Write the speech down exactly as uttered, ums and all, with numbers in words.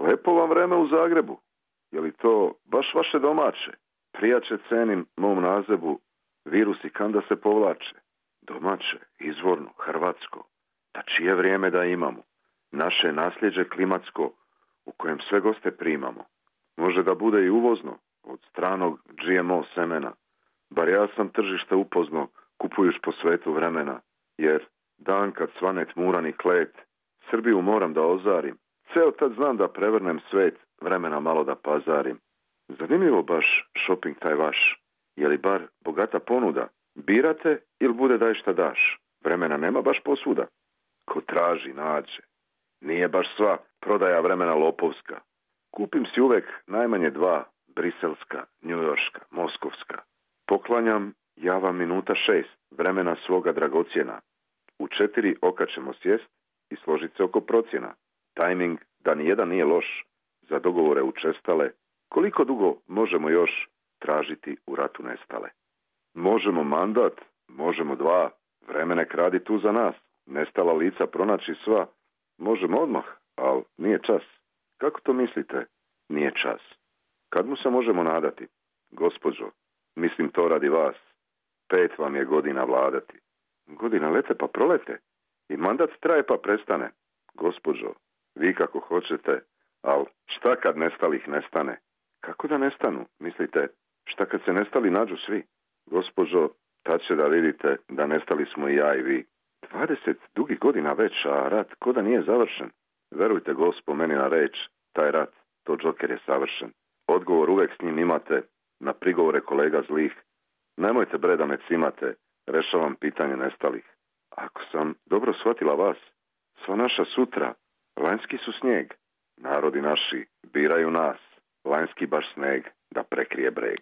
Lepo vam vreme u Zagrebu. Je li to baš vaše domaće? Prijače cenim mom nazebu, virus i kanda se povlače. Domaće, izvorno, hrvatsko. Da čije vrijeme da imamo? Naše nasljeđe klimatsko, u kojem sve goste primamo. Može da bude i uvozno, od stranog G M O semena. Bar ja sam tržište upoznao, kupujuš po svetu vremena. Jer dan kad svane tmuran i klet, Srbiju moram da ozarim. Ceo tad znam da prevrnem svet, vremena malo da pazarim. Zanimljivo baš shopping taj vaš. Je li bar bogata ponuda? Birate ili bude daj šta daš? Vremena nema baš posvuda. Ko traži, nađe. Nije baš sva prodaja vremena lopovska. Kupim si uvek najmanje dva, briselska, njujorška, moskovska. Poklanjam ja vam minuta šest, vremena svoga dragocjena. U četiri oka ćemo sjest i složit se oko procjena. Tajming da nijedan nije loš, za dogovore učestale. Koliko dugo možemo još tražiti u ratu nestale? Možemo mandat, možemo dva, vreme nek radi tu za nas. Nestala lica pronaći sva, možemo odmah, ali nije čas. Kako to mislite? Nije čas. Kad mu se možemo nadati? Gospođo, mislim to radi vas. Pet vam je godina vladati. Godina lete pa prolete. I mandat traje pa prestane. Gospođo, vi kako hoćete, ali šta kad nestalih nestane? Kako da nestanu? Mislite, šta kad se nestali nađu svi? Gospođo, tad će da vidite da nestali smo i ja i vi. Dvadeset dugih godina već, a rat ko da nije završen. Verujte gospo meni na reč, taj rat, to Džoker je savršen. Odgovor uvek s njim imate, na prigovore kolega zlih. Nemojte bre da me cimate, rešavam pitanje nestalih. Ako sam dobro shvatila vas, sva naša sutra, lanjski su snijeg. Narodi naši biraju nas, lanjski baš sneg da prekrije breg.